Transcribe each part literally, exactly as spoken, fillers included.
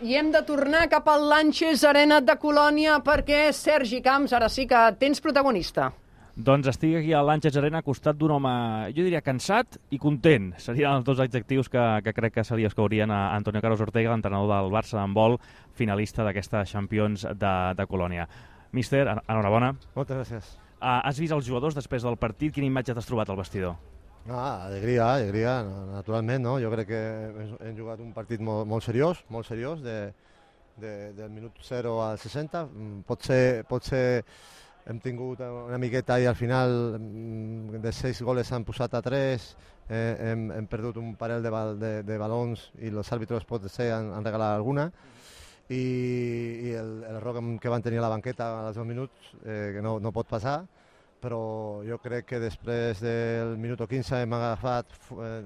I hem de tornar cap al Lanxes Arena de Colònia perquè, Sergi Camps, ara sí que tens protagonista. Doncs estic aquí a Lanxes Arena al costat d'un home, jo diria, cansat i content. Serien els dos adjectius que, que crec que se li escaurien a Antonio Carlos Ortega, l'entrenador del Barça d'handbol, finalista d'aquesta Champions de, de Colònia. Míster, enhorabona. Moltes gràcies. Uh, has vist els jugadors després del partit? Quina imatge t'has trobat al vestidor? Ah, alegria, alegria, naturalment, no? Jo crec que hem jugat un partit molt, molt seriós, molt seriós, de, de, del minut zero al seixanta. Potser, potser hem tingut una miqueta i al final de sis goles s'han posat a tres, eh, hem, hem perdut un parell de, bal, de, de balons i els àrbitres potser han, han regalat alguna. I, i el, el error que van tenir a la banqueta als dos minuts, eh, que no, no pot passar, però jo crec que després del minut quinze hem agafat eh,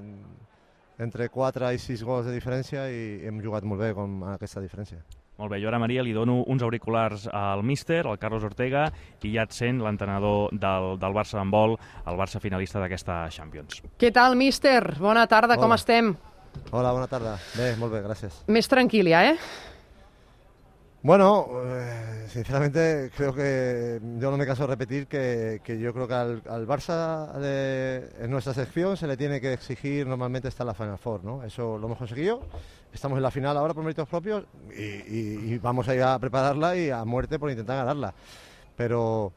entre quatre i sis gols de diferència i hem jugat molt bé amb aquesta diferència. Molt bé, jo ara, Maria, li dono uns auriculars al míster, al Carlos Ortega, i ja et sent l'entrenador del, del Barça d'handbol, el Barça finalista d'aquesta Champions. Què tal, míster? Bona tarda, Hola. Com estem? Hola, bona tarda. Bé, molt bé, gràcies. Més tranquil ja, eh? Bueno, eh, sinceramente creo que yo no me canso de repetir que, que yo creo que al, al Barça de, en nuestra sección se le tiene que exigir normalmente estar en la Final Four, ¿no? Eso lo hemos conseguido, estamos en la final ahora por méritos propios y, y, y vamos a ir a prepararla y a muerte por intentar ganarla. Pero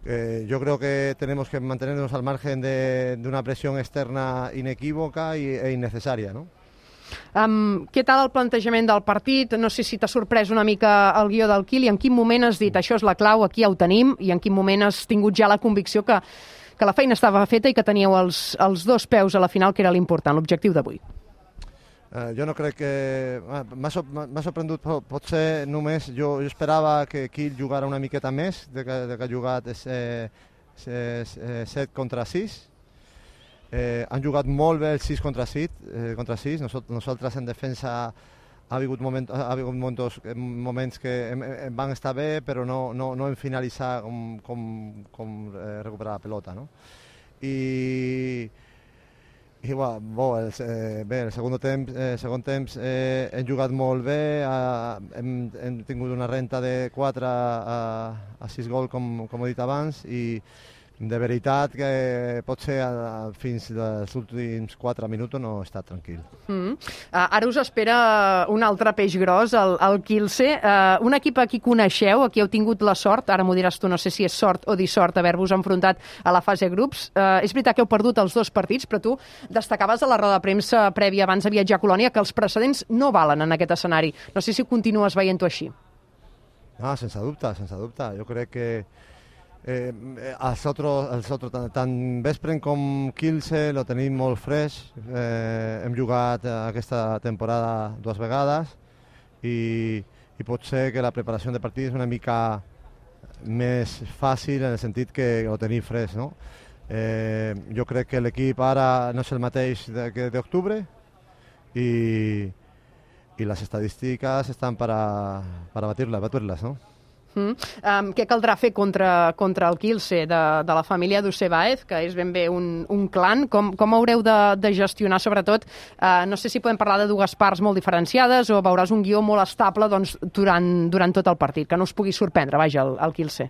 eh, yo creo que tenemos que mantenernos al margen de, de una presión externa inequívoca y, e innecesaria, ¿no? Um, què tal el plantejament del partit? No sé si t'ha sorprès una mica el guió del Quil i en quin moment has dit això és la clau, aquí ja ho tenim, i en quin moment has tingut ja la convicció que, que la feina estava feta i que teníeu els, els dos peus a la final, que era l'important, l'objectiu d'avui? Uh, jo no crec que... Ah, m'ha sorprendut, potser només jo, jo esperava que Quil jugara una miqueta més, de que, de que ha jugat eh, set contra sis. Eh, han jugat molt bé el sis contra sis, eh, contra sis. Nos, nosaltres en defensa ha hagut, moment, ha hagut moments, moments que hem, hem van estar bé, però no, no, no hem finalitzat com, com, com eh, recuperar la pelota, no? I, i bueno, bo, el, eh, bé, el segon temps, eh, segon temps eh, hem jugat molt bé, eh, hem, hem tingut una renta de quatre a, a sis gols, com, com he dit abans, i de veritat que potser fins als últims quatre minuts no he estat tranquil. Mm. Uh, ara us espera un altre peix gros, el, el Kielce. Uh, un equip a qui coneixeu, a qui heu tingut la sort, ara m'ho diràs tu, no sé si és sort o dissort haver-vos enfrontat a la fase grups. Uh, és veritat que heu perdut els dos partits, però tu destacaves a la roda de premsa prèvia abans de viatjar a Colònia que els precedents no valen en aquest escenari. No sé si continues veient-ho així. Ah, sense dubte, sense dubte. Jo crec que Eh, els otros, els otros, tant, tant Veszprém com Kielce lo tenim molt fresc. Eh, hem jugat aquesta temporada dues vegades i, i pot ser que la preparació de partit és una mica més fàcil en el sentit que ho tenim fresc, no? Eh, jo crec que l'equip ara no és el mateix que d'octubre i, i les estadístiques estan per a, per a batir-les, batir-les, no? Mm. Um, què caldrà fer contra, contra el Kielce de, de la família Dusebaev, que és ben bé un, un clan? Com, com haureu de, de gestionar, sobretot, uh, no sé si podem parlar de dues parts molt diferenciades o veuràs un guió molt estable doncs, durant, durant tot el partit, que no us pugui sorprendre, vaja, el, el Kielce.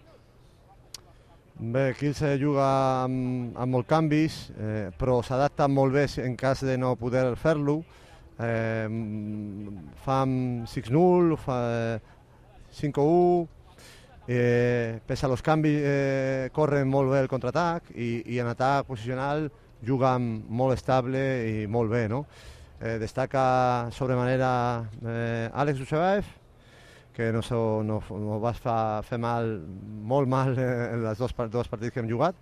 Bé, Kielce juga amb, amb molts canvis, eh, però s'adapta molt bé en cas de no poder fer-lo. Eh, fan sis null, fa cinc u, Eh, pese a los canvis eh, corren molt bé el contraatac i, i en atac posicional juguen molt estable i molt bé, no? Eh, destaca sobremanera eh, Alex Dusebaev, que no, so, no, no va fa, fer mal, molt mal en els dos, dos partits que hem jugat,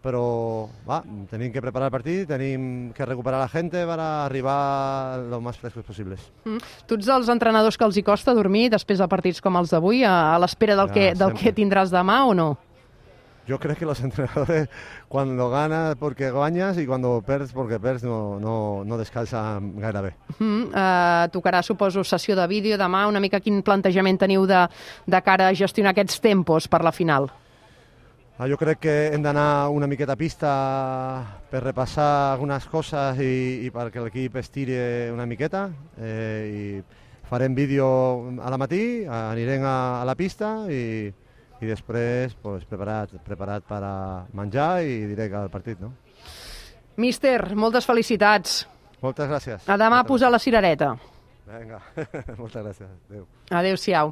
però va, tenim que preparar el partit, tenim que recuperar la gent per arribar lo més frescos possibles. Mm. Tu ets dels entrenadors que els hi costa dormir després de partits com els d'avui, a, a l'espera del, ja, que, del que tindràs demà o no? Yo creo que los entrenadores cuando ganas porque guanyes i quan perds perquè perds no, no, no descansen gaire bé. Mm, uh, tocarà, suposo, sessió de vídeo demà, una mica quin plantejament teniu de, de cara a gestionar aquests tempos per la final? Ah, jo crec que hem d'anar una miqueta a pista per repassar algunes coses i, i perquè l'equip estiri una miqueta eh, i farem vídeo a la matí, anirem a, a la pista i, i després pues, preparat, preparat per a menjar i direct al partit, no? Míster, moltes felicitats. Moltes gràcies. A demà moltes posar la cirereta. Vinga, moltes gràcies. Adéu. Adéu-siau.